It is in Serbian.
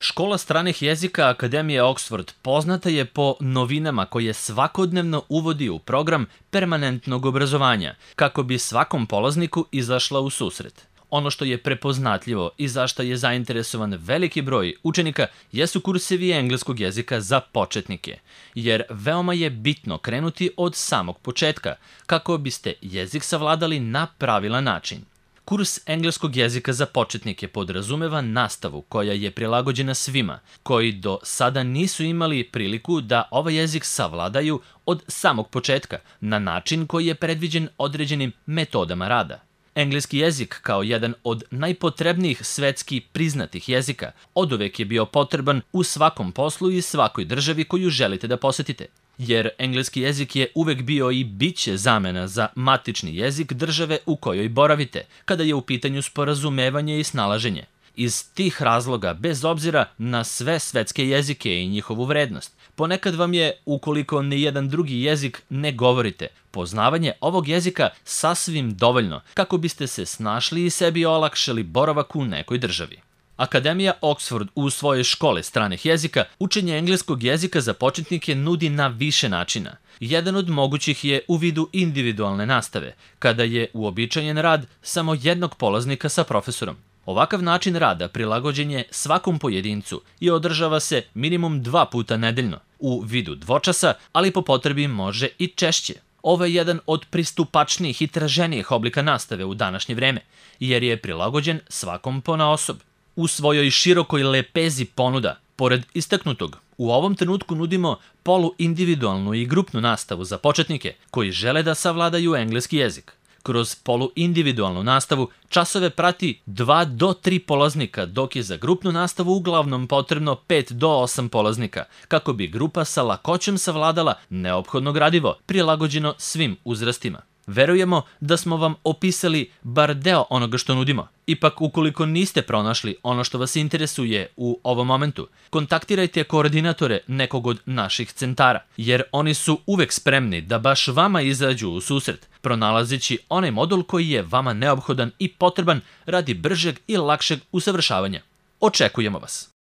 Škola stranih jezika Akademije Oxford poznata je po novinama koje svakodnevno uvodi u program permanentnog obrazovanja, kako bi svakom polazniku izašla u susret. Ono što je prepoznatljivo i za što je zainteresovan veliki broj učenika jesu kursevi engleskog jezika za početnike, jer veoma je bitno krenuti od samog početka, kako biste jezik savladali na pravilan način. Kurs engleskog jezika za početnike podrazumeva nastavu koja je prilagođena svima, koji do sada nisu imali priliku da ovaj jezik savladaju od samog početka, na način koji je predviđen određenim metodama rada. Engleski jezik, kao jedan od najpotrebnijih svetski priznatih jezika, oduvek je bio potreban u svakom poslu i svakoj državi koju želite da posetite. Jer engleski jezik je uvek bio i biće zamena za matični jezik države u kojoj boravite, kada je u pitanju sporazumevanje i snalaženje. Iz tih razloga, bez obzira na sve svetske jezike i njihovu vrednost, ponekad vam je, ukoliko nijedan drugi jezik ne govorite, poznavanje ovog jezika sasvim dovoljno kako biste se snašli i sebi olakšali boravak u nekoj državi. Akademija Oxford u svojoj škole stranih jezika učenje engleskog jezika za početnike nudi na više načina. Jedan od mogućih je u vidu individualne nastave, kada je uobičajen rad samo jednog polaznika sa profesorom. Ovakav način rada prilagođen je svakom pojedincu i održava se minimum 2 puta nedeljno, u vidu dvočasa, ali po potrebi može i češće. Ovo je jedan od pristupačnijih i traženijih oblika nastave u današnje vreme, jer je prilagođen svakom ponaosob. U svojoj širokoj lepezi ponuda, pored istaknutog, u ovom trenutku nudimo poluindividualnu i grupnu nastavu za početnike koji žele da savladaju engleski jezik. Kroz poluindividualnu nastavu časove prati 2 do 3 polaznika, dok je za grupnu nastavu uglavnom potrebno 5 do 8 polaznika, kako bi grupa sa lakoćom savladala neophodno gradivo, prilagođeno svim uzrastima. Verujemo da smo vam opisali bar deo onoga što nudimo. Ipak, ukoliko niste pronašli ono što vas interesuje u ovom momentu, kontaktirajte koordinatore nekog od naših centara, jer oni su uvek spremni da baš vama izađu u susret, pronalazeći onaj modul koji je vama neophodan i potreban radi bržeg i lakšeg usavršavanja. Očekujemo vas!